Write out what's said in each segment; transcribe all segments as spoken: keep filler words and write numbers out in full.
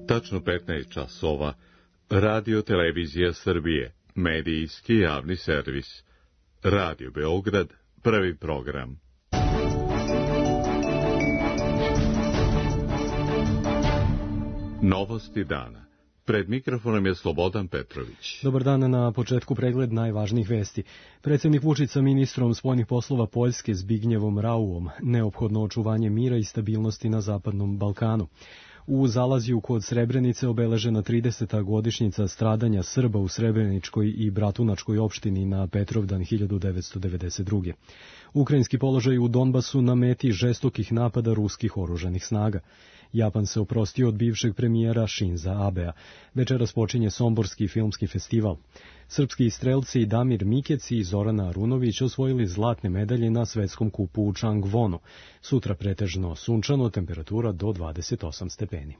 Tačno petnaest časova. Radio Televizija Srbije, medijski javni servis. Radio Beograd, prvi program. Novosti dana. Pred mikrofonom je Slobodan Petrović. Dobar dan, na početku pregled najvažnijih vesti. Predsjednik Vučić sa ministrom spoljnih poslova Poljske Zbignjevom Rauom, neophodno očuvanje mira i stabilnosti na Zapadnom Balkanu. U Zalazju kod Srebrenice obeležena trideseta godišnjica stradanja Srba u Srebreničkoj i Bratunačkoj opštini na Petrovdan hiljadu devetsto devedeset druge. Ukrajinski položaj u Donbasu na meti žestokih napada ruskih oružanih snaga. Japan se oprostio od bivšeg premijera Shinza Abea. Večeras počinje Somborski filmski festival. Srpski strelci Damir Mikec i Zorana Arunović osvojili zlatne medalje na svetskom kupu u Changwonu. Sutra pretežno sunčano, temperatura do dvadeset osam stepeni.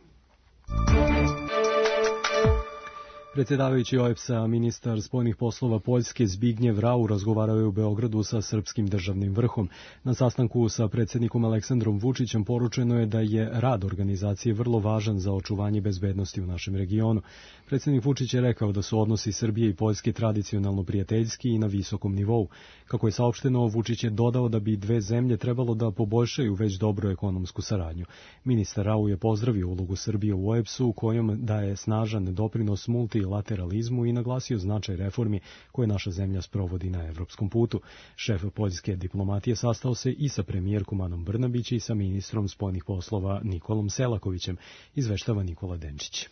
Predsjedavajući O E B S A, ministar spoljnih poslova Poljske Zbignjev Rau razgovarao je u Beogradu sa srpskim državnim vrhom. Na sastanku sa predsjednikom Aleksandrom Vučićem poručeno je da je rad organizacije vrlo važan za očuvanje bezbednosti u našem regionu. Predsjednik Vučić je rekao da su odnosi Srbije i Poljske tradicionalno prijateljski i na visokom nivou. Kako je saopšteno, Vučić je dodao da bi dve zemlje trebalo da poboljšaju već dobru ekonomsku saradnju. Ministar Rau je pozdravio ulogu Srbije u O E B S U, kojom daje snažan doprinos multilateralizmu i naglasio značaj reformi koje naša zemlja sprovodi na evropskom putu. Šef poljske diplomatije sastao se i sa premijerkom Anom Brnabić i sa ministrom spoljnih poslova Nikolom Selakovićem, izveštava Nikola Denčić.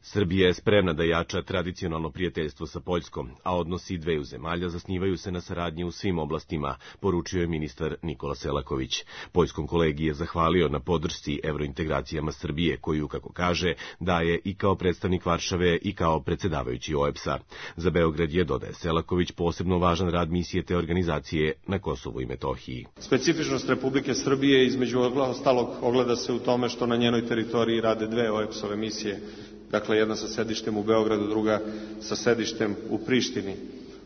Srbija je spremna da jača tradicionalno prijateljstvo sa Poljskom, a odnosi dveju zemalja zasnivaju se na saradnji u svim oblastima, poručio je ministar Nikola Selaković. Poljskom kolegi je zahvalio na podršci evrointegracijama Srbije, koju, kako kaže, daje i kao predstavnik Varšave i kao predsjedavajući O E B S A. Za Beograd je, dodaje Selaković, posebno važan rad misije te organizacije na Kosovu i Metohiji. Specifičnost Republike Srbije između ostalog ogleda se u tome što na njenoj teritoriji rade dve O E B S-ove misije. Dakle, jedna sa sedištem u Beogradu, druga sa sedištem u Prištini.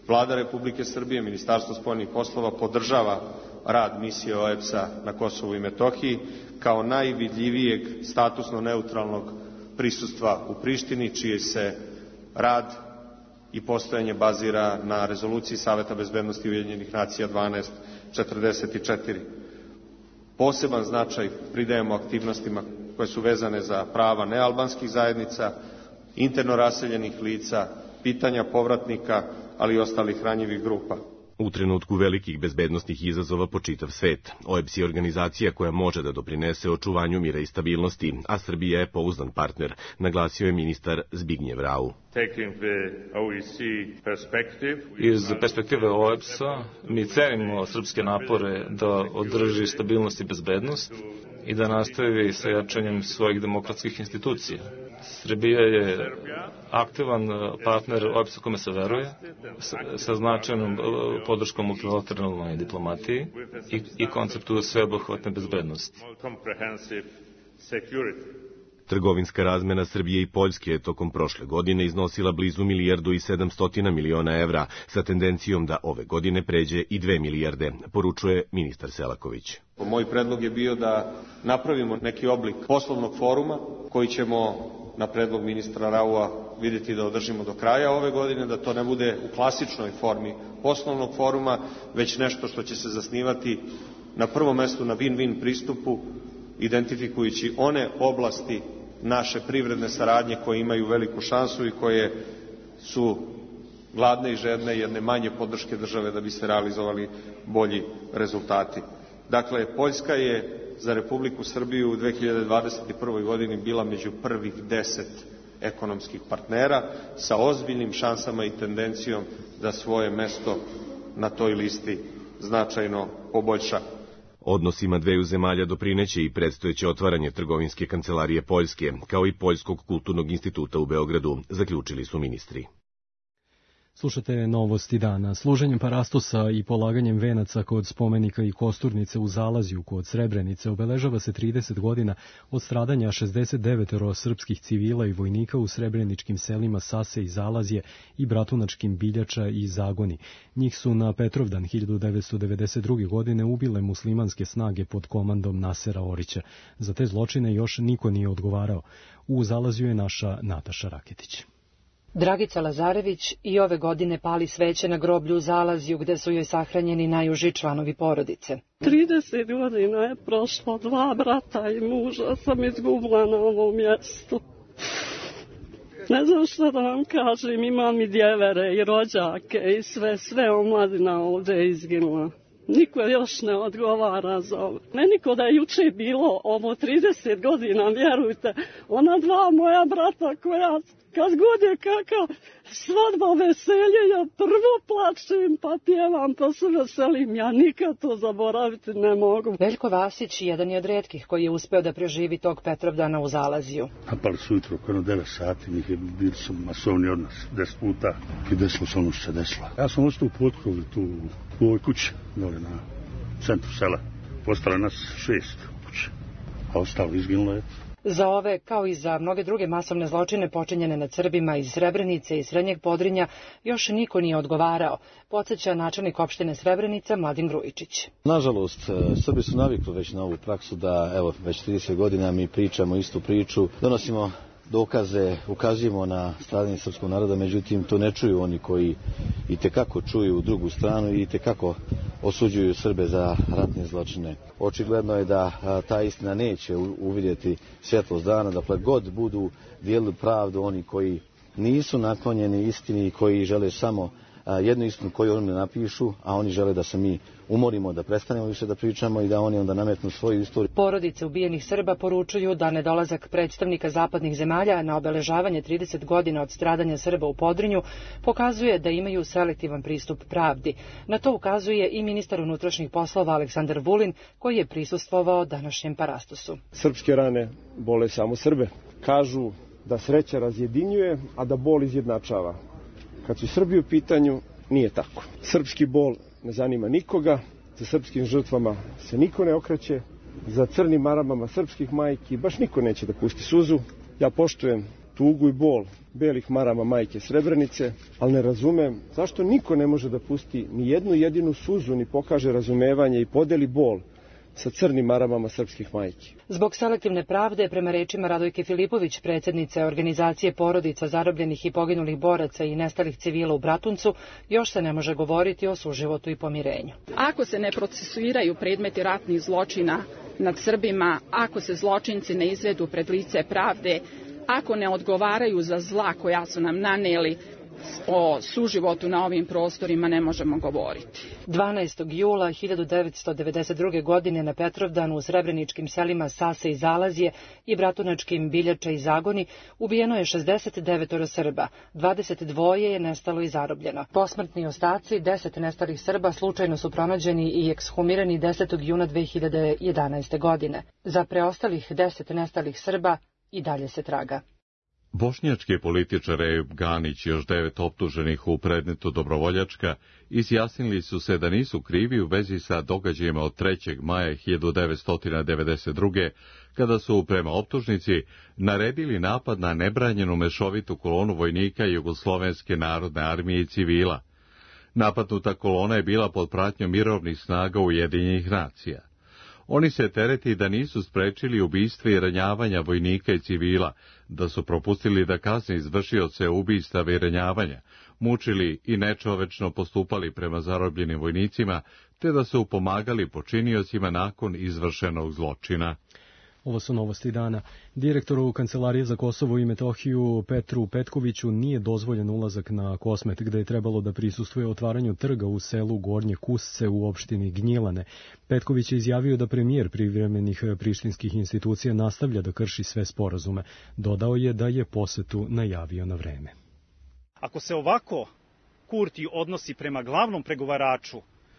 Vlada Republike Srbije, Ministarstvo spoljnih poslova, podržava rad misije O E B S A na Kosovu i Metohiji kao najvidljivijeg statusno neutralnog prisustva u Prištini, čiji se rad i postojanje bazira na rezoluciji Saveta bezbednosti Ujedinjenih nacija dvanaest četrdeset četiri. Poseban značaj pridajemo aktivnostima koje su vezane za prava nealbanskih zajednica, interno raseljenih lica, pitanja povratnika, ali i ostalih ranjivih grupa. U trenutku velikih bezbednosnih izazova po čitav svet, O E B S je organizacija koja može da doprinese očuvanju mira i stabilnosti, a Srbija je pouzdan partner, naglasio je ministar Zbignjev Rau. Iz perspektive O E B S A mi cenimo srpske napore da održi stabilnost i bezbednost i da nastavi sa jačanjem svojih demokratskih institucija. Srbija je aktivan partner O E B S-a kome se veruje, sa značajnom podrškom multilateralnoj diplomatiji i, i konceptu sveobuhvatne bezbednosti. Trgovinska razmena Srbije i Poljske je tokom prošle godine iznosila blizu milijardu i sedamstotina miliona evra, sa tendencijom da ove godine pređe i dve milijarde, poručuje ministar Selaković. Moj predlog je bio da napravimo neki oblik poslovnog foruma koji ćemo na predlog ministra Raua vidjeti da održimo do kraja ove godine, da to ne bude u klasičnoj formi poslovnog foruma, već nešto što će se zasnivati na prvom mestu na win-win pristupu, identifikujući one oblasti naše privredne saradnje koje imaju veliku šansu i koje su gladne i žedne jedne manje podrške države da bi se realizovali bolji rezultati. Dakle, Poljska je za Republiku Srbiju u dve hiljade dvadeset prvoj godini bila među prvih deset ekonomskih partnera sa ozbiljnim šansama i tendencijom da svoje mesto na toj listi značajno poboljša. Odnosima dveju zemalja doprineće i predstojeće otvaranje trgovinske kancelarije Poljske, kao i Poljskog kulturnog instituta u Beogradu, zaključili su ministri. Slušate novosti dana. Služenjem parastosa i polaganjem venaca kod spomenika i kosturnice u Zalazju kod Srebrenice obeležava se trideset godina od stradanja šezdeset devet srpskih civila i vojnika u srebreničkim selima Sase i Zalazje i bratunačkim Biljača i Zagoni. Njih su na Petrovdan hiljadu devetsto devedeset druge. godine ubile muslimanske snage pod komandom Nasera Orića. Za te zločine još niko nije odgovarao. U Zalazju je naša Nataša Raketić. Dragica Lazarević i ove godine pali sveće na groblju u Zalazju gde su joj sahranjeni najuži članovi porodice. trideset godina je prošlo, dva brata i muža sam izgubila na ovom mjestu. Ne znam šta da vam kažem, imam i djevere i rođake i sve, sve omladina ovdje je izginula. Niko još ne odgovara za ovo. Meni ko da je juče bilo ovo trideset godina, vjerujte, ona dva moja brata koja kad god je kakav svadba veselje, ja prvo plačem, pa pjevam, pa se veselim. Ja nikad to zaboraviti ne mogu. Veljko Vasić jedan je od retkih koji je uspeo da preživi tog Petrovdana u Zalazju. Napali su jutro oko devet sati, njih je bili su masovni od nas, deset puta i desilo se ono što se desilo. Ja sam ostao u potkrovu tu u ovoj kući, dole na centru sela. Postala nas šest u kući, a ostalo izginulo je. Za ove, kao i za mnoge druge masovne zločine počinjene nad Srbima iz Srebrenice i Srednjeg Podrinja, još niko nije odgovarao, podsjeća načelnik opštine Srebrenica Mladen Grujičić. Nažalost, Srbi su navikli već na ovu praksu da, evo, već trideset godina mi pričamo istu priču, donosimo dokaze, ukazujemo na stradanje srpskog naroda, međutim to ne čuju oni koji i tekako čuju drugu stranu i tekako osuđuju Srbe za ratne zločine. Očigledno je da a, ta istina neće uvidjeti svjetlost dana, da god budu dijelili pravdu oni koji nisu naklonjeni istini i koji žele samo a, jednu istinu koju oni napišu, a oni žele da se mi umorimo, da prestanemo više da pričamo i da oni onda nametnu svoju istoriju. Porodice ubijenih Srba poručuju da nedolazak predstavnika zapadnih zemalja na obeležavanje trideset godina od stradanja Srba u Podrinju pokazuje da imaju selektivan pristup pravdi. Na to ukazuje i ministar unutrašnjih poslova Aleksandar Vulin, koji je prisustvovao današnjem parastosu. Srpske rane bole samo Srbe. Kažu da sreća razjedinjuje, a da bol izjednačava. Kad su Srbi u pitanju, nije tako. Srpski bol ne zanima nikoga, za srpskim žrtvama se niko ne okreće, za crnim maramama srpskih majki baš niko neće da pusti suzu. Ja poštujem tugu i bol belih marama majke Srebrenice, ali ne razumem zašto niko ne može da pusti ni jednu jedinu suzu, ni pokaže razumevanje i podeli bol sa crnim maramama srpskih majki. Zbog selektivne pravde, prema rečima Radojke Filipović, predsjednice organizacije porodica zarobljenih i poginulih boraca i nestalih civila u Bratuncu, još se ne može govoriti o suživotu i pomirenju. Ako se ne procesuiraju predmeti ratnih zločina nad Srbima, ako se zločinci ne izvedu pred lice pravde, ako ne odgovaraju za zla koja su nam naneli, o suživotu na ovim prostorima ne možemo govoriti. dvanaestog jula hiljadu devetsto devedeset druge. godine na Petrovdanu u srebreničkim selima Sase i Zalazje i bratunačkim Biljača i Zagoni ubijeno je šezdeset devet Srba, dvadeset dva je nestalo i zarobljeno. Posmrtni ostaci deset nestalih Srba slučajno su pronađeni i ekshumirani desetog juna dve hiljade jedanaeste. godine. Za preostalih deset nestalih Srba i dalje se traga. Bošnjački političar Ejub Ganić i još devet optuženih u predmetu Dobrovoljačka izjasnili su se da nisu krivi u vezi sa događajima od trećeg maja hiljadu devetsto devedeset druge. kada su, prema optužnici, naredili napad na nebranjenu mešovitu kolonu vojnika Jugoslovenske narodne armije i civila. Napadnuta kolona je bila pod pratnjom mirovnih snaga Ujedinjenih nacija. Oni se tereti da nisu sprečili ubistva i ranjavanja vojnika i civila, da su propustili da kazne izvršioce ubistava i ranjavanja, mučili i nečovečno postupali prema zarobljenim vojnicima, te da su pomagali počiniocima nakon izvršenog zločina. Ovo su novosti dana. Direktoru Kancelarije za Kosovo i Metohiju Petru Petkoviću nije dozvoljen ulazak na Kosmet, gde je trebalo da prisustvuje otvaranju trga u selu Gornje Kusce u opštini Gnjilane. Petković je izjavio da premijer privremenih prištinskih institucija nastavlja da krši sve sporazume. Dodao je da je posetu najavio na vreme. Ako se ovako Kurti odnosi prema glavnom pregovaraču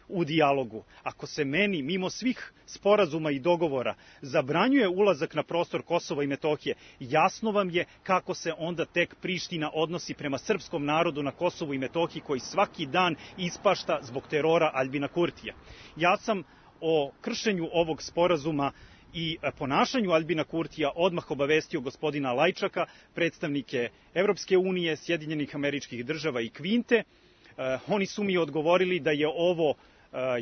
u dijalogu. Ako se meni, mimo svih sporazuma i dogovora, zabranjuje ulazak na prostor Kosova i Metohije, jasno vam je kako se onda tek Priština odnosi prema srpskom narodu na Kosovu i Metohiji, koji svaki dan ispašta zbog terora Aljbina Kurtija. Ja sam o kršenju ovog sporazuma i ponašanju Aljbina Kurtija odmah obavestio gospodina Lajčaka, predstavnike Evropske unije, Sjedinjenih Američkih Država i Kvinte. Oni su mi odgovorili da je ovo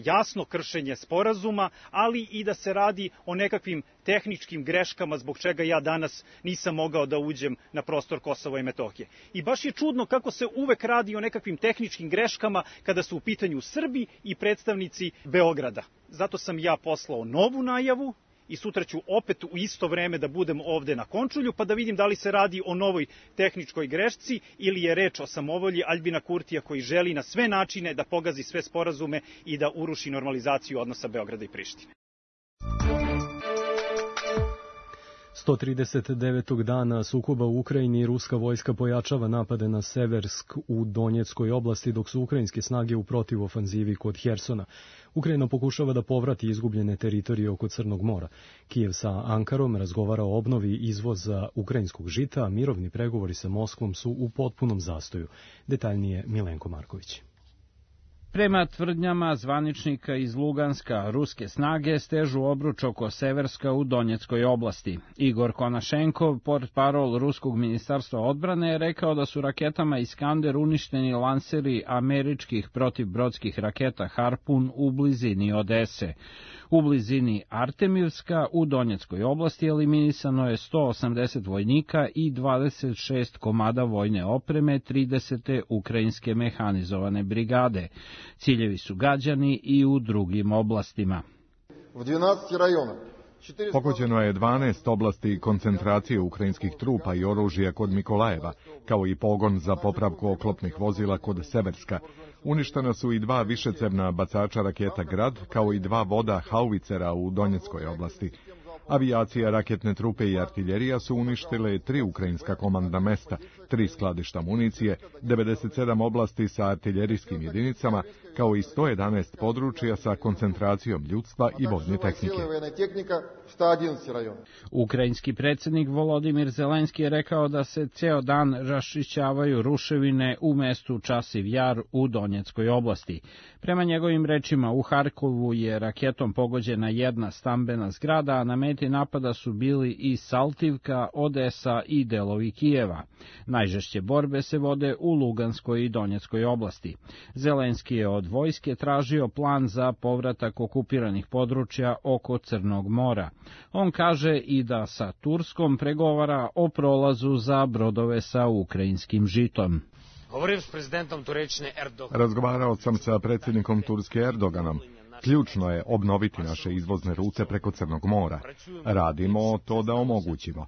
jasno kršenje sporazuma, ali i da se radi o nekakvim tehničkim greškama zbog čega ja danas nisam mogao da uđem na prostor Kosova i Metohije. I baš je čudno kako se uvek radi o nekakvim tehničkim greškama kada su u pitanju Srbi i predstavnici Beograda. Zato sam ja poslao novu najavu i sutra ću opet u isto vreme da budem ovde na Končulju, pa da vidim da li se radi o novoj tehničkoj grešci ili je reč o samovolji Aljbina Kurtija koji želi na sve načine da pogazi sve sporazume i da uruši normalizaciju odnosa Beograda i Prištine. sto trideset devetog dana sukoba u Ukrajini ruska vojska pojačava napade na Seversk u Donjeckoj oblasti, dok su ukrajinske snage u protivofanzivi kod Hersona. Ukrajina pokušava da povrati izgubljene teritorije oko Crnog mora. Kijev sa Ankarom razgovara o obnovi izvoza ukrajinskog žita, a mirovni pregovori sa Moskvom su u potpunom zastoju. Detaljnije Milenko Marković. Prema tvrdnjama zvaničnika iz Luganska, ruske snage stežu obruč oko Severska u Donjeckoj oblasti. Igor Konašenkov, portparol Ruskog ministarstva odbrane, je rekao da su raketama Iskander uništeni lanseri američkih protivbrodskih raketa Harpun u blizini Odese. U blizini Artemivska u Donjeckoj oblasti eliminisano je sto osamdeset vojnika i dvadeset šest komada vojne opreme tridesete ukrajinske mehanizovane brigade. Ciljevi su gađani i u drugim oblastima. Pogođeno je dvanaest oblasti koncentracije ukrajinskih trupa i oružja kod Mikolajeva, kao i pogon za popravku oklopnih vozila kod Severska. Uništena su i dva višecevna bacača raketa Grad, kao i dva voda hauvicera u Donjeckoj oblasti. Avijacija, raketne trupe i artiljerija su uništile tri ukrajinska komandna mesta, tri skladišta municije, devedeset sedam oblasti sa artiljerijskim jedinicama, kao i sto jedanaest područja sa koncentracijom ljudstva i vojne tehnike. Ukrajinski predsjednik Volodimir Zelenski je rekao da se ceo dan raščišćavaju ruševine u mestu Časiv Jar u Donjeckoj oblasti. Prema njegovim rečima, u Harkovu je raketom pogođena jedna stambena zgrada, a na meti napada su bili i Saltivka, Odesa i delovi Kijeva. Najžešće borbe se vode u Luganskoj i Donjeckoj oblasti. Zelenski je od vojske tražio plan za povratak okupiranih područja oko Crnog mora. On kaže i da sa Turskom pregovara o prolazu za brodove sa ukrajinskim žitom. Razgovarao sam sa predsjednikom Turske Erdoganom. Ključno je obnoviti naše izvozne rute preko Crnog mora. Radimo to da omogućimo.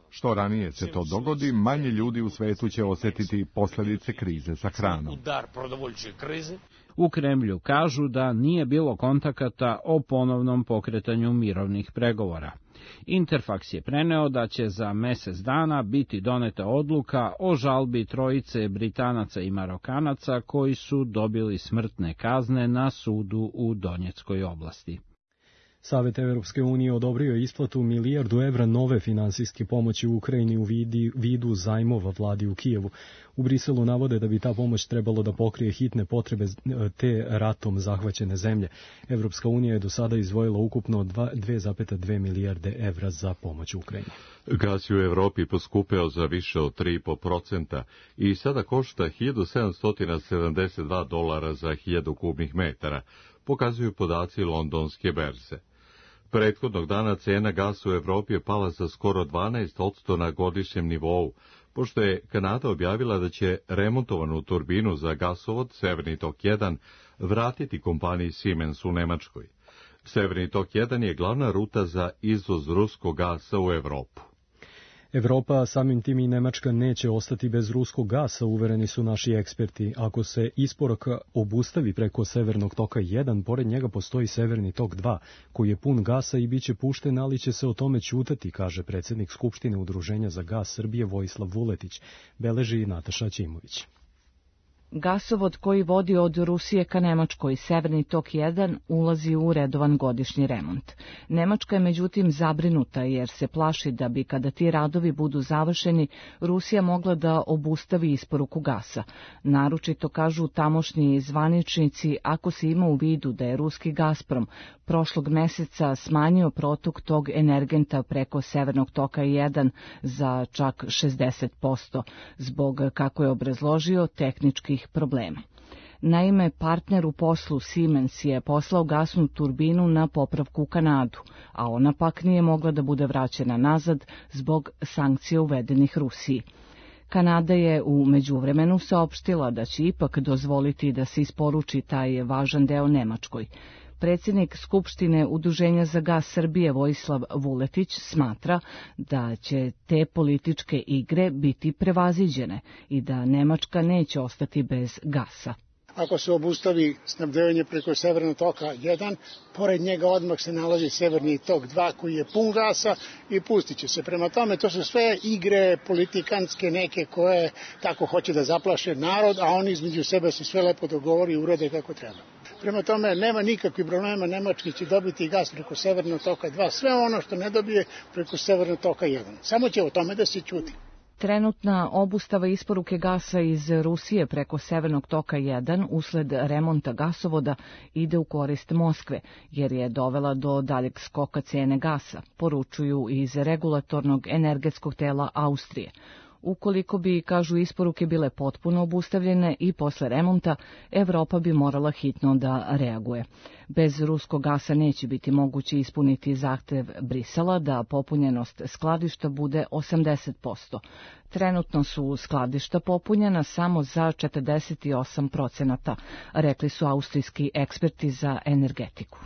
Što ranije se to dogodi, manje ljudi u svetu će osjetiti posljedice krize sa hranom. U Kremlju kažu da nije bilo kontakata o ponovnom pokretanju mirovnih pregovora. Interfaks je preneo da će za mjesec dana biti doneta odluka o žalbi trojice Britanaca i Marokanaca koji su dobili smrtne kazne na sudu u Donjeckoj oblasti. Savet Evropske unije odobrio je isplatu milijardu evra nove finansijske pomoći u Ukrajini u vidi, vidu zajmova vladi u Kijevu. U Briselu navode da bi ta pomoć trebalo da pokrije hitne potrebe te ratom zahvaćene zemlje. Evropska unija je do sada izdvojila ukupno dve zarez dve milijarde evra za pomoć Ukrajini. Gas je u Evropi poskupeo za više od tri zarez pet procenta i sada košta hiljadu sedamsto sedamdeset dva dolara za hiljadu kubnih metara, pokazuju podaci londonske berze. Prethodnog dana cena gasa u Evropi je pala za skoro dvanaest posto na godišnjem nivou, pošto je Kanada objavila da će remontovanu turbinu za gasovod Severni tok jedan vratiti kompaniji Siemens u Nemačkoj. Severni tok jedan je glavna ruta za izvoz ruskog gasa u Evropu. Evropa, samim tim i Nemačka, neće ostati bez ruskog gasa, uvereni su naši eksperti. Ako se isporuka obustavi preko Severnog toka jedan, pored njega postoji Severni tok dva, koji je pun gasa i bit će pušten, ali će se o tome ćutati, kaže predsjednik Skupštine Udruženja za gas Srbije Vojislav Vuletić, beleži Nataša Ćimović. Gasovod koji vodi od Rusije ka Nemačkoj, Severni tok jedan, ulazi u redovan godišnji remont. Nemačka je međutim zabrinuta jer se plaši da bi kada ti radovi budu završeni, Rusija mogla da obustavi isporuku gasa. Naročito kažu tamošnji zvaničnici ako se ima u vidu da je ruski Gazprom prošlog meseca smanjio protok tog energenta preko Severnog toka jedan za čak šezdeset posto, zbog, kako je obrazložio, tehničkih problema. Naime, partner u poslu Siemens je poslao gasnu turbinu na popravku u Kanadu, a ona pak nije mogla da bude vraćena nazad zbog sankcija uvedenih Rusiji. Kanada je u međuvremenu saopštila da će ipak dozvoliti da se isporuči taj važan deo Nemačkoj. Predsjednik Skupštine Udruženja za gas Srbije Vojislav Vuletić smatra da će te političke igre biti prevaziđene i da Nemačka neće ostati bez gasa. Ako se obustavi snabdevanje preko Severnog toka jedan, pored njega odmah se nalazi Severni tok dva koji je pun gasa i pustit će se. Prema tome, to su sve igre politikanske neke koje tako hoće da zaplaše narod, a oni između sebe se sve lepo dogovori i urade kako treba. Prema tome, nema nikakvih problema, Nemački će dobiti gas preko Severnog toka dva, sve ono što ne dobije preko Severnog toka jedan. Samo će o tome da se ćuti. Trenutna obustava isporuke gasa iz Rusije preko Severnog toka jedan usled remonta gasovoda ide u korist Moskve, jer je dovela do daljeg skoka cene gasa, poručuju iz regulatornog energetskog tela Austrije. Ukoliko bi, kažu, isporuke bile potpuno obustavljene i posle remonta, Evropa bi morala hitno da reaguje. Bez ruskog gasa neće biti moguće ispuniti zahtev Brisela da popunjenost skladišta bude osamdeset posto. Trenutno su skladišta popunjena samo za četrdeset osam procenata, rekli su austrijski eksperti za energetiku.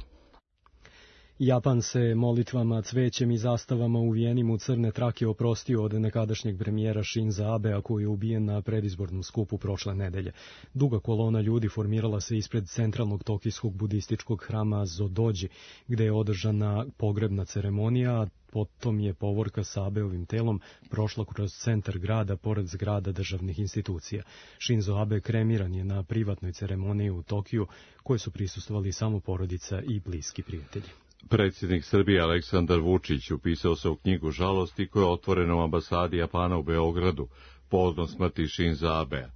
Japan se molitvama, cvećem i zastavama uvijenim u crne trake oprostio od nekadašnjeg premijera Shinza Abea koji je ubijen na predizbornom skupu prošle nedelje. Duga kolona ljudi formirala se ispred centralnog tokijskog budističkog hrama Zodoji, gde je održana pogrebna ceremonija, a potom je povorka sa Abeovim telom prošla kroz centar grada pored zgrada državnih institucija. Shinzo Abe kremiran je na privatnoj ceremoniji u Tokiju, koje su prisustvovali samo porodica i bliski prijatelji. Predsjednik Srbije Aleksandar Vučić upisao se u knjigu žalosti koja je otvorena u ambasadi Japana u Beogradu povodom smrti Shinza Abea.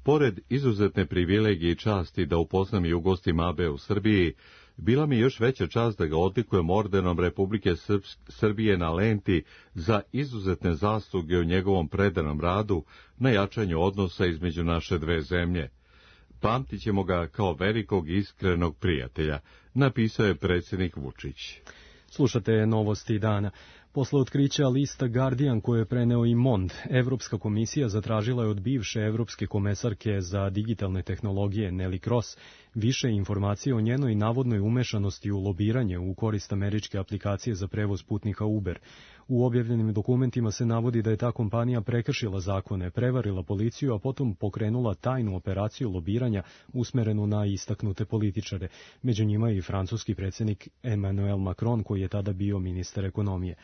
Pored izuzetne privilegije i časti da upoznam i ugostim Abea u Srbiji, bila mi još veća čast da ga odlikujem ordenom Republike Srbije na lenti za izuzetne zasluge u njegovom predanom radu na jačanju odnosa između naše dve zemlje. Pamtit ćemo ga kao velikog iskrenog prijatelja, napisao je predsjednik Vučić. Slušate novosti dana. Posle otkrića lista Guardian koje je preneo i Mond, Evropska komisija zatražila je od bivše evropske komesarke za digitalne tehnologije Nelly Cross više informacije o njenoj navodnoj umešanosti u lobiranje u korist američke aplikacije za prevoz putnika Uber. U objavljenim dokumentima se navodi da je ta kompanija prekršila zakone, prevarila policiju, a potom pokrenula tajnu operaciju lobiranja usmerenu na istaknute političare. Među njima i francuski predsjednik Emmanuel Macron, koji je tada bio ministar ekonomije.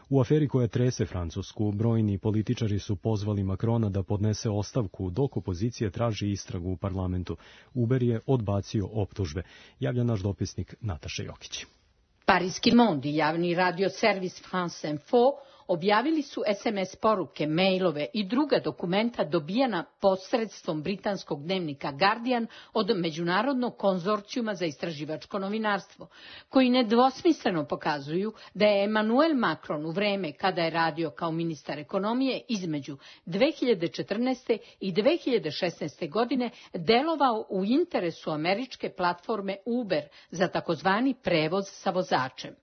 U aferi koja trese Francusku, brojni političari su pozvali Macrona da podnese ostavku dok opozicija traži istragu u parlamentu. Uber je odbacio optužbe, javlja naš dopisnik Nataša Jokić. Parijski Monde i javni radio servis France Info objavili su es em es poruke, mailove i druga dokumenta dobijana posredstvom britanskog dnevnika Guardian od Međunarodnog konzorcijuma za istraživačko novinarstvo, koji nedvosmisleno pokazuju da je Emmanuel Macron u vreme kada je radio kao ministar ekonomije između dve hiljade četrnaeste. i dve hiljade šesnaeste. godine delovao u interesu američke platforme Uber za takozvani prevoz sa vozačem.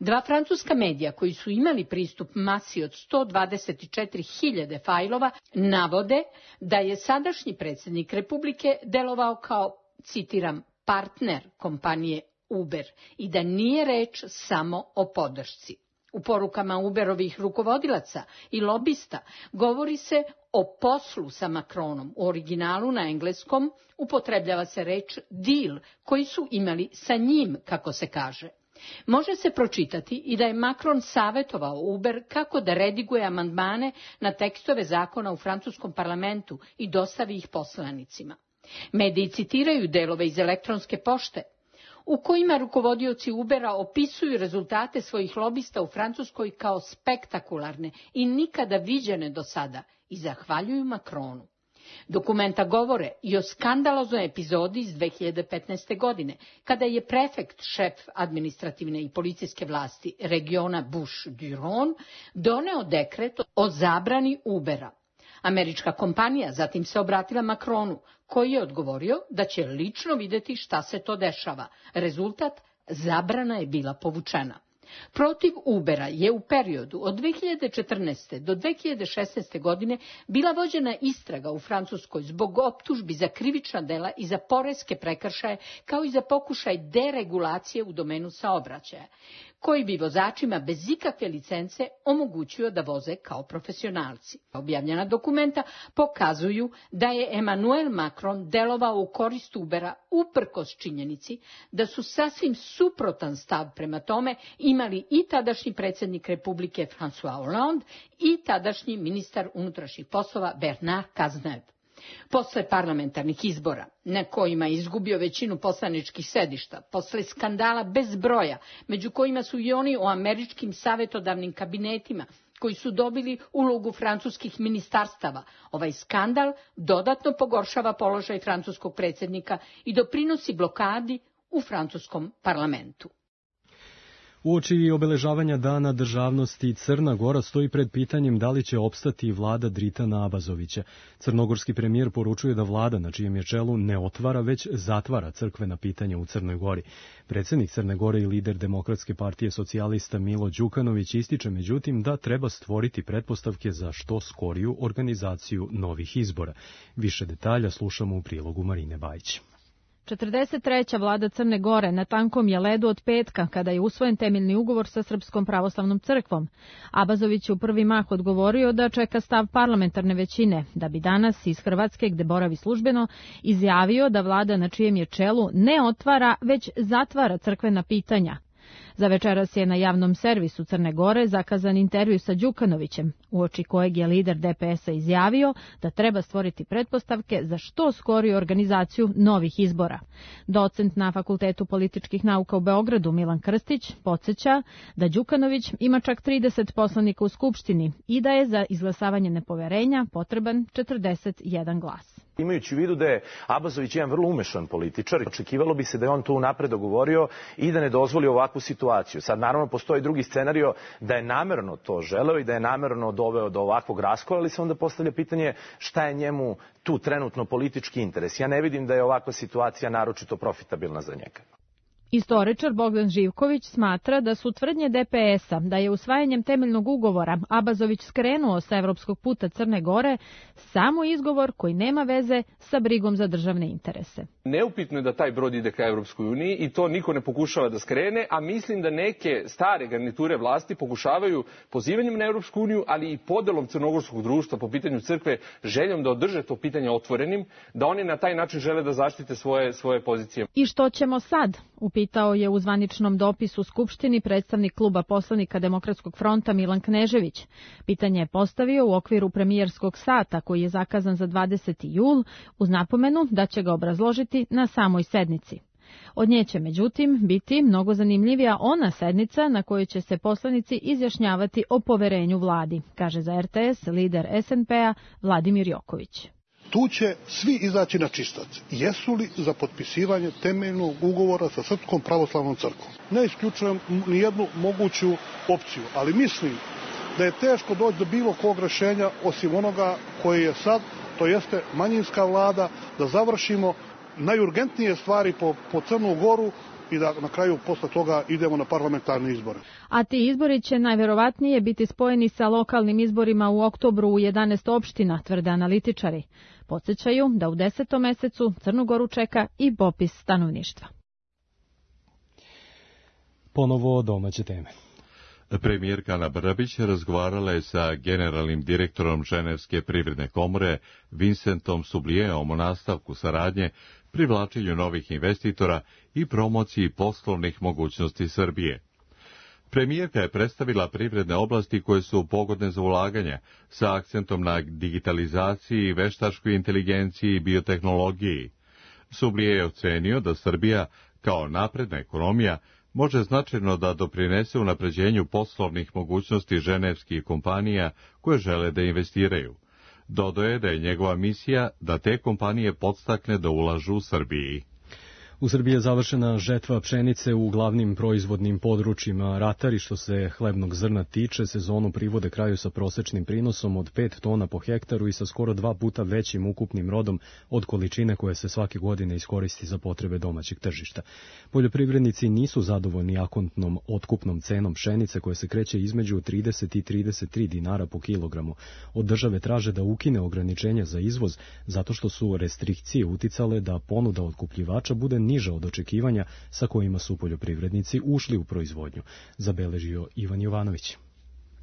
Dva francuska medija koji su imali pristup masi od sto dvadeset četiri hiljade fajlova navode da je sadašnji predsjednik Republike delovao kao, citiram, partner kompanije Uber i da nije reč samo o podršci. U porukama Uberovih rukovodilaca i lobista govori se o poslu sa Macronom. U originalu na engleskom upotrebljava se reč deal koji su imali sa njim, kako se kaže. Može se pročitati i da je Macron savjetovao Uber kako da rediguje amandmane na tekstove zakona u francuskom parlamentu i dostavi ih poslanicima. Mediji citiraju delove iz elektronske pošte, u kojima rukovodioci Ubera opisuju rezultate svojih lobista u Francuskoj kao spektakularne i nikada viđene do sada i zahvaljuju Macronu. Dokumenta govore i o skandaloznoj epizodi iz dve hiljade petnaeste. godine, kada je prefekt, šef administrativne i policijske vlasti regiona Bouches-du-Rhône, doneo dekret o zabrani Ubera. Američka kompanija zatim se obratila Macronu, koji je odgovorio da će lično vidjeti šta se to dešava. Rezultat, zabrana je bila povučena. Protiv Ubera je u periodu od dve hiljade četrnaeste. do dve hiljade šesnaeste. godine bila vođena istraga u Francuskoj zbog optužbi za krivična dela i za poreske prekršaje, kao i za pokušaj deregulacije u domenu saobraćaja, koji bi vozačima bez ikakve licence omogućio da voze kao profesionalci. Objavljena dokumenta pokazuju da je Emmanuel Macron delovao u korist Ubera uprkos činjenici da su sasvim suprotan stav prema tome imali i tadašnji predsjednik Republike François Hollande i tadašnji ministar unutrašnjih poslova Bernard Cazeneuve. Posle parlamentarnih izbora, na kojima je izgubio većinu poslaničkih sedišta, posle skandala bez broja, među kojima su i oni o američkim savjetodavnim kabinetima, koji su dobili ulogu francuskih ministarstava, ovaj skandal dodatno pogoršava položaj francuskog predsjednika i doprinosi blokadi u francuskom parlamentu. Uoči obeležavanja Dana državnosti Crna Gora stoji pred pitanjem da li će opstati vlada Dritana Abazovića. Crnogorski premijer poručuje da vlada na čijem je čelu ne otvara, već zatvara crkvena pitanja u Crnoj Gori. Predsjednik Crne Gore i lider Demokratske partije socijalista Milo Đukanović ističe međutim da treba stvoriti pretpostavke za što skoriju organizaciju novih izbora. Više detalja slušamo u prilogu Marine Bajić. četrdeset treća vlada Crne Gore na tankom je ledu od petka, kada je usvojen temeljni ugovor sa Srpskom pravoslavnom crkvom. Abazović je u prvi mah odgovorio da čeka stav parlamentarne većine, da bi danas iz Hrvatske, gde boravi službeno, izjavio da vlada na čijem je čelu ne otvara, već zatvara crkvena pitanja. Za večeras je na javnom servisu Crne Gore zakazan intervju sa Đukanovićem, uoči kojeg je lider D P S-a izjavio da treba stvoriti pretpostavke za što skoriju organizaciju novih izbora. Docent na Fakultetu političkih nauka u Beogradu Milan Krstić podsjeća da Đukanović ima čak trideset poslanika u Skupštini i da je za izglasavanje nepoverenja potreban četrdeset jedan glas. Imajući u vidu da je Abazović jedan vrlo umešan političar, očekivalo bi se da je on to unapred dogovorio i da ne dozvoli ovakvu situaciju. Sad, naravno, postoji drugi scenario da je namerno to želeo i da je namerno doveo do ovakvog raskola, ali se onda postavlja pitanje šta je njemu tu trenutno politički interes. Ja ne vidim da je ovakva situacija naročito profitabilna za njega. Istoričar Bogdan Živković smatra da su tvrdnje D P S-a da je usvajanjem temeljnog ugovora Abazović skrenuo sa evropskog puta Crne Gore samo izgovor koji nema veze sa brigom za državne interese. Neupitno je da taj brod ide ka Evropskoj uniji i to niko ne pokušava da skrene, a mislim da neke stare garniture vlasti pokušavaju pozivanjem na Evropsku uniju, ali i podelom crnogorskog društva po pitanju crkve, željom da održe to pitanje otvorenim, da oni na taj način žele da zaštite svoje, svoje pozicije. I što ćemo sad? Upitao je u zvaničnom dopisu Skupštini predstavnik kluba poslanika Demokratskog fronta Milan Knežević. Pitanje je postavio u okviru premijerskog sata koji je zakazan za dvadeseti jul uz napomenu da će ga obrazložiti na samoj sednici. Od nje će međutim biti mnogo zanimljivija ona sednica na kojoj će se poslanici izjašnjavati o poverenju vladi, kaže za R T S lider S N P-a Vladimir Joković. Tu će svi izaći na čistac. Jesu li za potpisivanje temeljnog ugovora sa Srpskom pravoslavnom crkvom? Ne isključujem nijednu moguću opciju, ali mislim da je teško doći do bilo kog rešenja osim onoga koji je sad, to jeste manjinska vlada, da završimo najurgentnije stvari po, po Crnu Goru i da na kraju posle toga idemo na parlamentarne izbore. A ti izbori će najverovatnije biti spojeni sa lokalnim izborima u oktobru u jedanaest opština, tvrde analitičari. Podsjećaju da u desetom mesecu Crnu Goru čeka i popis stanovništva. Ponovo domaće teme. Premijerka Ana Brnabić razgovarala je sa generalnim direktorom Ženevske privredne komore Vincentom Sublijeom o nastavku saradnje, privlačenju novih investitora i promociji poslovnih mogućnosti Srbije. Premijerka je predstavila privredne oblasti koje su pogodne za ulaganja, sa akcentom na digitalizaciji, veštačkoj inteligenciji i biotehnologiji. Sublije je ocenio da Srbija, kao napredna ekonomija, može značajno da doprinese unapređenju poslovnih mogućnosti ženevskih kompanija koje žele da investiraju. Dodao je da je njegova misija da te kompanije podstakne da ulažu u Srbiji. U Srbiji je završena žetva pšenice u glavnim proizvodnim područjima. Ratari, što se hlebnog zrna tiče, sezonu privode kraju sa prosečnim prinosom od pet tona po hektaru i sa skoro dva puta većim ukupnim rodom od količine koje se svake godine iskoristi za potrebe domaćeg tržišta. Poljoprivrednici nisu zadovoljni akontnom otkupnom cenom pšenice koja se kreće između trideset i trideset tri dinara po kilogramu. Od države traže da ukine ograničenja za izvoz zato što su restrikcije uticale da ponuda otkupljivača bude niža od očekivanja sa kojima su poljoprivrednici ušli u proizvodnju, zabeležio Ivan Jovanović.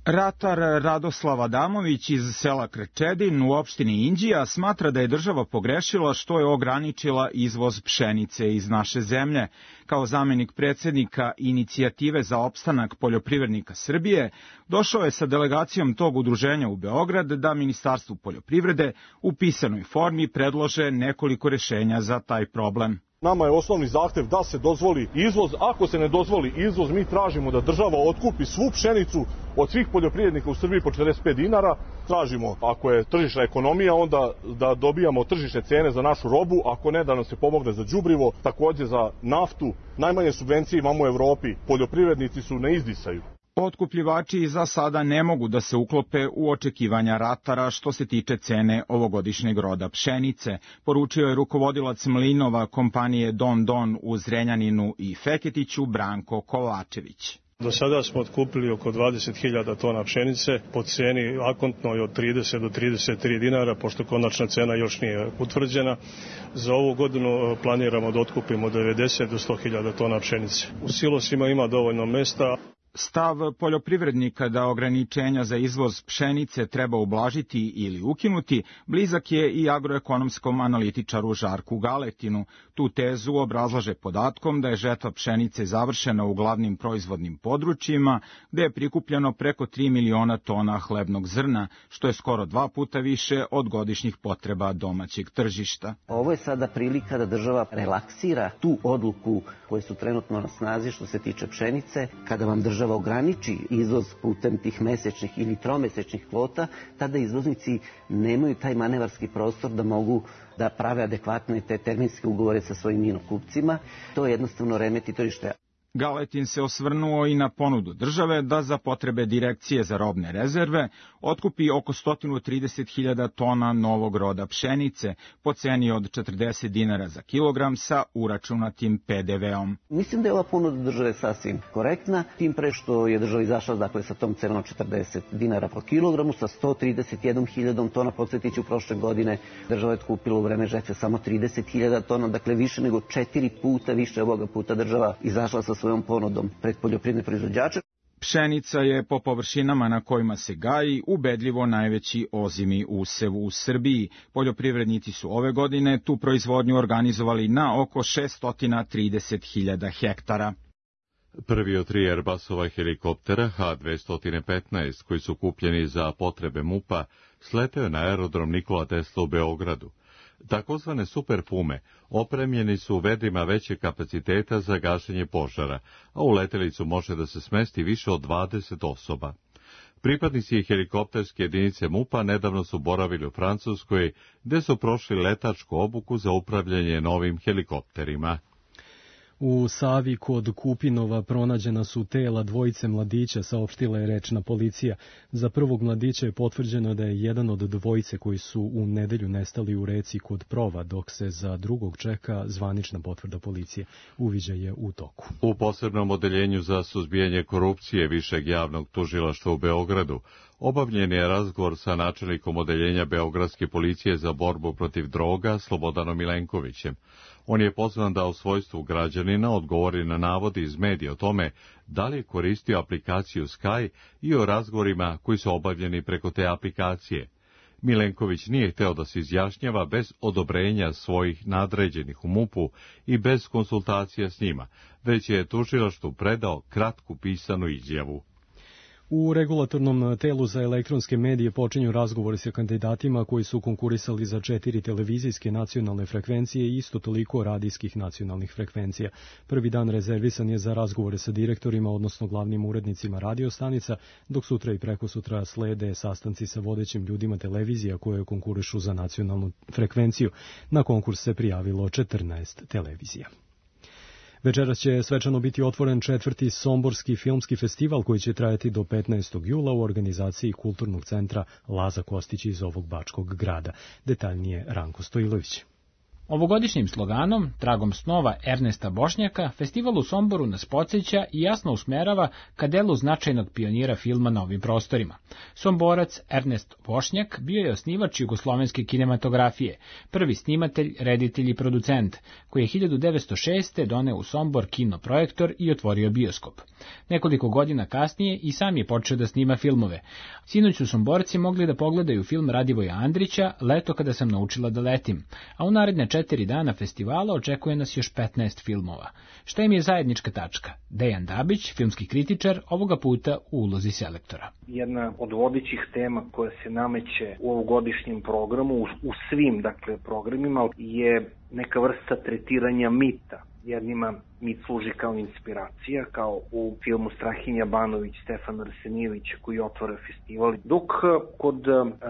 Ratar Radoslav Adamović iz sela Krčedin u opštini Inđija smatra da je država pogrešila što je ograničila izvoz pšenice iz naše zemlje. Kao zamenik predsjednika Inicijative za opstanak poljoprivrednika Srbije, došao je sa delegacijom tog udruženja u Beograd da Ministarstvu poljoprivrede u pisanoj formi predlože nekoliko rešenja za taj problem. Nama je osnovni zahtev da se dozvoli izvoz. Ako se ne dozvoli izvoz, mi tražimo da država otkupi svu pšenicu od svih poljoprivrednika u Srbiji po četrdeset pet dinara. Tražimo, ako je tržišna ekonomija, onda da dobijamo tržišne cene za našu robu, ako ne, da nam se pomogne za đubrivo, takođe za naftu. Najmanje subvencije imamo u Evropi. Poljoprivrednici su na izdisaju. Otkupljivači za sada ne mogu da se uklope u očekivanja ratara što se tiče cene ovogodišnjeg roda pšenice, poručio je rukovodilac mlinova kompanije Don Don u Zrenjaninu i Feketiću Branko Kovačević. Do sada smo otkupili oko dvadeset hiljada tona pšenice po ceni akontnoj od trideset do trideset tri dinara, pošto konačna cena još nije utvrđena. Za ovu godinu planiramo da otkupimo devedeset do sto hiljada tona pšenice. U silosima ima dovoljno mesta. Stav poljoprivrednika da ograničenja za izvoz pšenice treba ublažiti ili ukinuti blizak je i agroekonomskom analitičaru Žarku Galetinu. Tu tezu obrazlaže podatkom da je žetva pšenice završena u glavnim proizvodnim područjima, gde je prikupljeno preko tri miliona tona hlebnog zrna, što je skoro dva puta više od godišnjih potreba domaćeg tržišta. Ovo je sada prilika da država relaksira tu odluku koje su trenutno na snazi što se tiče pšenice. Kada vam država država ograniči izvoz putem tih mesečnih ili tromesečnih kvota, tada izvoznici nemaju taj manevarski prostor da mogu da prave adekvatne te terminske ugovore sa svojim inokupcima. To jednostavno remeti tržište. Galetin se osvrnuo i na ponudu države da za potrebe Direkcije za robne rezerve otkupi oko sto trideset hiljada tona novog roda pšenice po ceni od četrdeset dinara za kilogram sa uračunatim pe de veom. Mislim da je ova ponuda države sasvim korektna, tim pre što je država izašla dakle, sa tom cenom od četrdeset dinara po kilogramu, sa sto trideset jednom hiljadom tona, podsjetiću, prošle godine država je otkupila u vreme žetve samo trideset hiljada tona, dakle više nego četiri puta više ovoga puta država izašla sa svojom ponudom pred poljoprivredne proizvođače. Pšenica je po površinama na kojima se gaji ubedljivo najveći ozimi usev u Srbiji. Poljoprivrednici su ove godine tu proizvodnju organizovali na oko šesto trideset hiljada hektara. Prvi od tri Airbusova helikoptera ha dvesta petnaest koji su kupljeni za potrebe MUP-a sleteo na aerodrom Nikola Tesla u Beogradu. Takozvane Super Pume opremljeni su vedrima većeg kapaciteta za gašenje požara, a u letelicu može da se smesti više od dvadeset osoba. Pripadnici helikopterske jedinice MUP-a nedavno su boravili u Francuskoj, gde su prošli letačku obuku za upravljanje novim helikopterima. U Savi kod Kupinova pronađena su tela dvojice mladića, saopštila je rečna policija. Za prvog mladića je potvrđeno da je jedan od dvojice koji su u nedelju nestali u reci kod Prova, dok se za drugog čeka zvanična potvrda policije. Uviđaj je u toku. U posebnom odeljenju za suzbijanje korupcije Višeg javnog tužilaštva u Beogradu Obavljen je razgovor sa načelnikom odeljenja Beogradske policije za borbu protiv droga Slobodanom Milenkovićem. On je pozvan da u svojstvu građanina odgovori na navodi iz medija o tome da li je koristio aplikaciju Sky i o razgovorima koji su obavljeni preko te aplikacije. Milenković nije hteo da se izjašnjava bez odobrenja svojih nadređenih u MUP-u i bez konsultacija s njima, već je tužilaštvu predao kratku pisanu izjavu. U regulatornom telu za elektronske medije počinju razgovori sa kandidatima koji su konkurisali za četiri televizijske nacionalne frekvencije i isto toliko radijskih nacionalnih frekvencija. Prvi dan rezervisan je za razgovore sa direktorima, odnosno glavnim urednicima radiostanica, dok sutra i prekosutra slede sastanci sa vodećim ljudima televizija koje konkurišu za nacionalnu frekvenciju. Na konkurs se prijavilo četrnaest televizija. Večeras će svečano biti otvoren četvrti Somborski filmski festival koji će trajati do petnaestog jula u organizaciji Kulturnog centra Laza Kostić iz ovog bačkog grada. Detaljnije Ranko Stojilović. Ovogodišnjim sloganom, tragom snova Ernesta Bošnjaka, festival u Somboru nas podsjeća i jasno usmerava ka delu značajnog pionira filma na ovim prostorima. Somborac Ernest Bošnjak bio je osnivač jugoslovenske kinematografije, prvi snimatelj, reditelj i producent, koji je hiljadu devetsto šeste. doneo u Sombor kinoprojektor i otvorio bioskop. Nekoliko godina kasnije i sam je počeo da snima filmove. Sinoć su Somborci mogli da pogledaju film Radivoja Andrića Leto kada sam naučila da letim, a u naredne četiri dana festivala očekuje nas još petnaest filmova. Šta im je zajednička tačka? Dejan Dabić, filmski kritičar, ovoga puta u ulozi selektora. Jedna od vodećih tema koja se nameće u ovogodišnjem programu, u svim dakle programima, je neka vrsta tretiranja mita. Jednima mit služi kao inspiracija, kao u filmu Strahinja Banović, Stefana Arsenijevića koji otvara festival, dok kod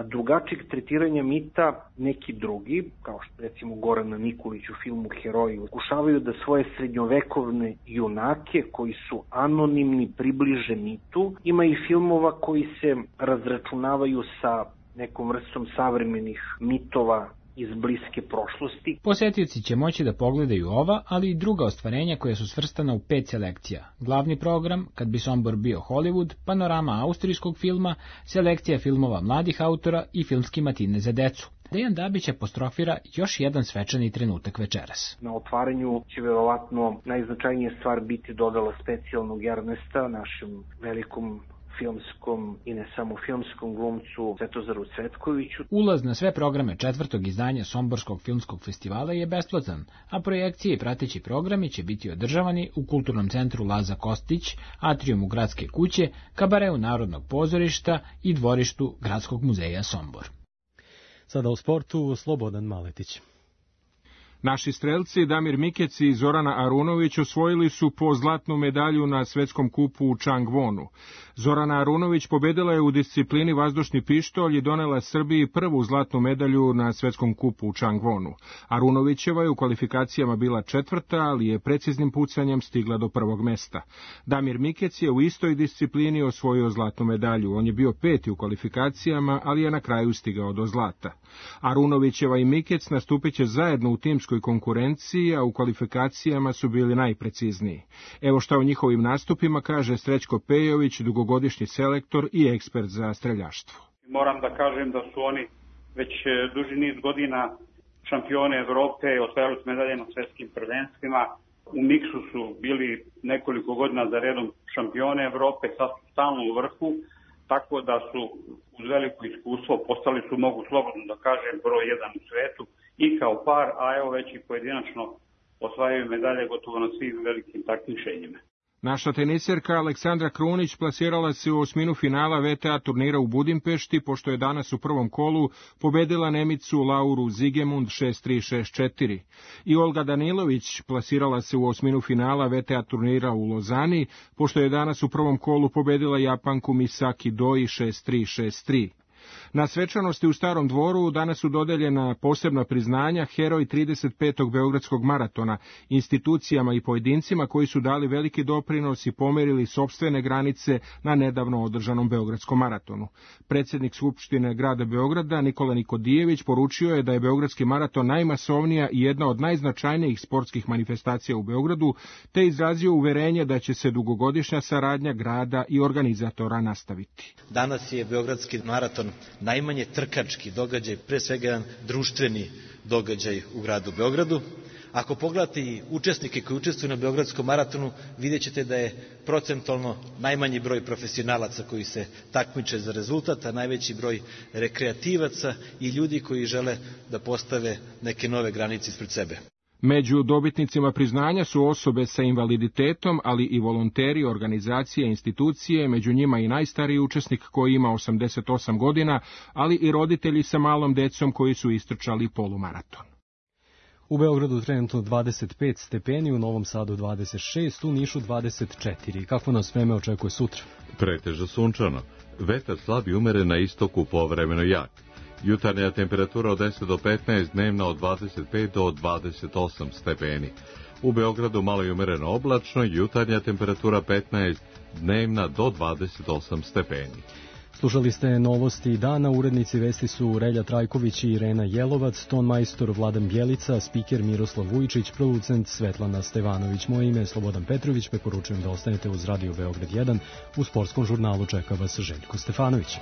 drugačijeg tretiranja mita neki drugi, kao što recimo Gorana Nikolić u filmu Heroji, pokušavaju da svoje srednjovekovne junake koji su anonimni približe mitu. Ima i filmova koji se razračunavaju sa nekom vrstom savremenih mitova iz bliske prošlosti. Posjetioci će moći da pogledaju ova, ali i druga ostvarenja koja su svrstana u pet selekcija. Glavni program, Kad bi Sombor bio Hollywood, panorama austrijskog filma, selekcija filmova mladih autora i filmski matine za decu. Dejan Dabić apostrofira još jedan svečani trenutak večeras. Na otvaranju će verovatno najznačajnija stvar biti dodala specijalnog Ernesta, našem velikom filmskom i ne samo filmskom glumcu Svetozaru Cvetkoviću. Ulaz na sve programe četvrtog izdanja Somborskog filmskog festivala je besplatan, a projekcije i prateći programi će biti održavani u Kulturnom centru Laza Kostić, atrijumu Gradske kuće, kabareu Narodnog pozorišta i dvorištu Gradskog muzeja Sombor. Sada u sportu, Slobodan Maletić. Naši strelci Damir Mikec i Zorana Arunović osvojili su po zlatnu medalju na svetskom kupu u Changwonu. Zorana Arunović pobedila je u disciplini vazdušni pištolj i donela Srbiji prvu zlatnu medalju na svetskom kupu u Changwonu. Arunovićeva je u kvalifikacijama bila četvrta, ali je preciznim pucanjem stigla do prvog mesta. Damir Mikec je u istoj disciplini osvojio zlatnu medalju. On je bio peti u kvalifikacijama, ali je na kraju stigao do zlata. Arunovićeva i Mikec nastupit će zajedno u timskoj konkurenciji, a u kvalifikacijama su bili najprecizniji. Evo šta o njihovim nastupima kaže Srećko Pejović, dugogodišnji selektor i ekspert za streljaštvo. Moram da kažem da su oni već duži niz godina šampione Evrope, osvajali su medalje na svetskim prvenstvima. U miksu su bili nekoliko godina za redom šampione Evrope, sad su stalno u vrhu, tako da su uz veliko iskustvo postali su, mogu slobodno da kažem, broj jedan u svetu i kao par, a evo već i pojedinačno osvajaju medalje gotovo na svim velikim takmičenjima. Naša teniserka Aleksandra Krunić plasirala se u osminu finala V T A turnira u Budimpešti, pošto je danas u prvom kolu pobedila Nemicu Lauru Zigemund šest tri šest četiri. I Olga Danilović plasirala se u osminu finala V T A turnira u Lozani, pošto je danas u prvom kolu pobedila Japanku Misaki Doi šest tri šest tri. Na svečanosti u Starom dvoru danas su dodeljena posebna priznanja heroj trideset petog Beogradskog maratona, institucijama i pojedincima koji su dali veliki doprinos i pomerili sopstvene granice na nedavno održanom Beogradskom maratonu. Predsjednik Skupštine grada Beograda Nikola Nikodijević poručio je da je Beogradski maraton najmasovnija i jedna od najznačajnijih sportskih manifestacija u Beogradu, te izrazio uverenje da će se dugogodišnja saradnja grada i organizatora nastaviti. Danas je Beogradski maraton najmanje trkački događaj, pre svega jedan društveni događaj u gradu Beogradu. Ako pogledate i učesnike koji učestvuju na Beogradskom maratonu, vidjet ćete da je procentualno najmanji broj profesionalaca koji se takmiče za rezultat, a najveći broj rekreativaca i ljudi koji žele da postave neke nove granice ispred sebe. Među dobitnicima priznanja su osobe sa invaliditetom, ali i volonteri, organizacije, institucije, među njima i najstariji učesnik koji ima osamdeset osam godina, ali i roditelji sa malom decom koji su istrčali polumaraton. U Beogradu trenutno dvadeset pet stepeni, u Novom Sadu dvadeset šest, u Nišu dvadeset četiri. Kako nas vreme očekuje sutra? Pretežno sunčano. Vetar slab i umeren na istoku, povremeno jak. Jutarnja temperatura od deset do petnaest, dnevna od dvadeset pet do dvadeset osam stepeni. U Beogradu malo i umereno oblačno, jutarnja temperatura petnaest, dnevna do dvadeset osam stepeni. Slušali ste novosti dana, urednici vesti su Relja Trajković i Irena Jelovac, ton majstor Vladan Bjelica, spiker Miroslav Vujčić, producent Svetlana Stevanović. Moje ime je Slobodan Petrović, preporučujem da ostanete uz Radio Beograd jedan. U sportskom žurnalu čeka vas Željko Stefanović.